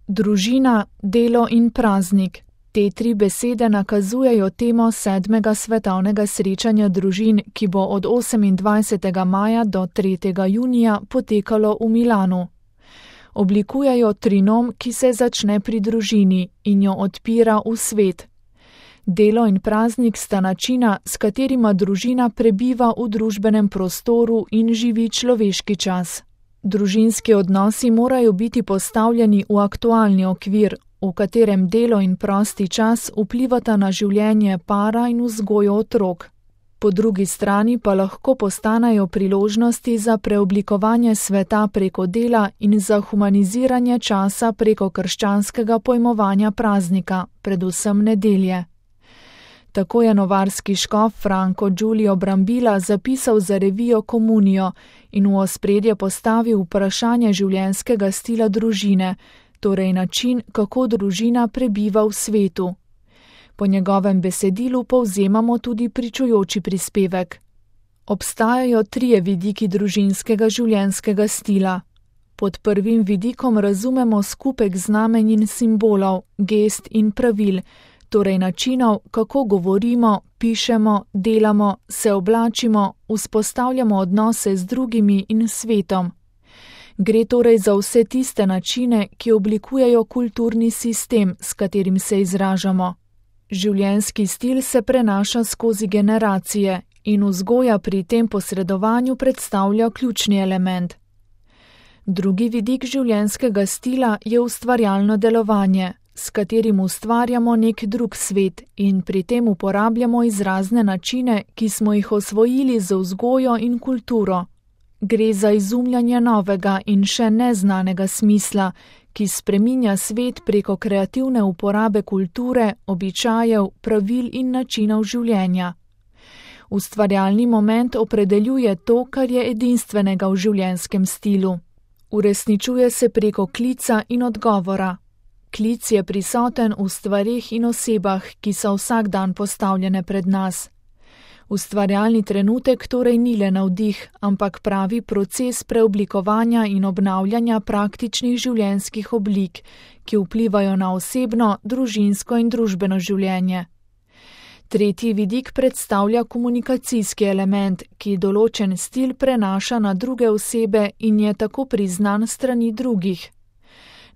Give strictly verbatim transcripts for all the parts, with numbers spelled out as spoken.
Družina, delo in praznik. Te tri besede nakazujejo temo sedmega svetovnega srečanja družin, ki bo od osemindvajsetega maja do tretjega junija potekalo v Milanu. Oblikujejo trinom, ki se začne pri družini in jo odpira v svet. Delo in praznik sta načina, s katerima družina prebiva v družbenem prostoru in živi človeški čas. Družinski odnosi morajo biti postavljeni v aktualni okvir, v katerem delo in prosti čas vplivata na življenje para in vzgojo otrok. Po drugi strani pa lahko postanejo priložnosti za preoblikovanje sveta preko dela in za humaniziranje časa preko krščanskega pojmovanja praznika, predvsem nedelje. Tako je novarski škof Franco Giulio Brambilla zapisal za revijo Komunijo in v ospredje postavil vprašanje življenjskega stila družine, torej način, kako družina prebiva v svetu. Po njegovem besedilu povzemamo tudi pričujoči prispevek. Obstajajo trije vidiki družinskega življenjskega stila. Pod prvim vidikom razumemo skupek znamenj in simbolov, gest in pravil, torej načinov, kako govorimo, pišemo, delamo, se oblačimo, vzpostavljamo odnose z drugimi in svetom. Gre torej za vse tiste načine, ki oblikujejo kulturni sistem, s katerim se izražamo. Življenjski stil se prenaša skozi generacije in vzgoja pri tem posredovanju predstavlja ključni element. Drugi vidik življenjskega stila je ustvarjalno delovanje, s katerim ustvarjamo nek drug svet in pri tem uporabljamo izrazne načine, ki smo jih osvojili z vzgojo in kulturo. Gre za izumljanje novega in še neznanega smisla, ki spreminja svet preko kreativne uporabe kulture, običajev, pravil in načinov življenja. Ustvarjalni moment opredeljuje to, kar je edinstvenega v življenjskem stilu. Uresničuje se preko klica in odgovora. Klic je prisoten v stvareh in osebah, ki so vsak dan postavljene pred nas. Ustvarjalni trenutek torej ni le navdih, ampak pravi proces preoblikovanja in obnavljanja praktičnih življenjskih oblik, ki vplivajo na osebno, družinsko in družbeno življenje. Tretji vidik predstavlja komunikacijski element, ki določen stil prenaša na druge osebe in je tako priznan strani drugih.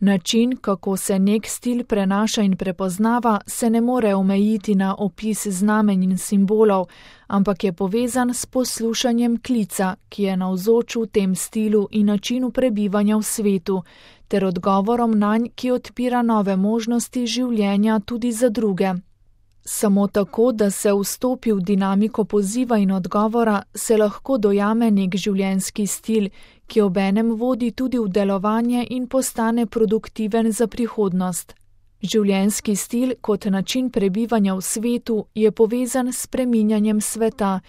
Način, kako se nek stil prenaša in prepoznava, se ne more omejiti na opis znamenj in simbolov, ampak je povezan s poslušanjem klica, ki je navzoč v tem stilu in načinu prebivanja v svetu, ter odgovorom nanj, ki odpira nove možnosti življenja tudi za druge. Samo tako, da se vstopi v dinamiko poziva in odgovora, se lahko dojame nek življenjski stil, ki obenem vodi tudi v delovanje in postane produktiven za prihodnost. Življenjski stil kot način prebivanja v svetu je povezan s spreminjanjem sveta,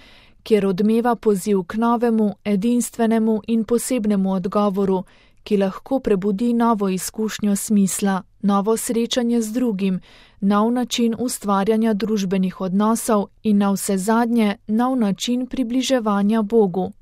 kjer odmeva poziv k novemu, edinstvenemu in posebnemu odgovoru, ki lahko prebudi novo izkušnjo smisla, novo srečanje z drugim, nov način ustvarjanja družbenih odnosov in navsezadnje nov način približevanja Bogu.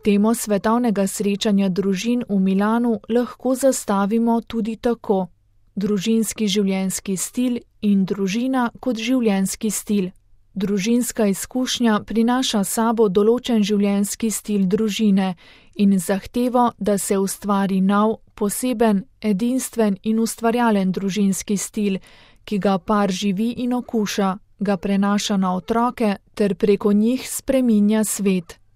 Temo svetovnega srečanja družin v Milanu lahko zastavimo tudi tako: družinski življenjski stil in družina kot življenjski stil. Družinska izkušnja prinaša sabo določen življenjski stil družine in zahtevo, da se ustvari nov, poseben, edinstven in ustvarjalen družinski stil, ki ga par živi in okuša, ga prenaša na otroke ter preko njih spreminja svet.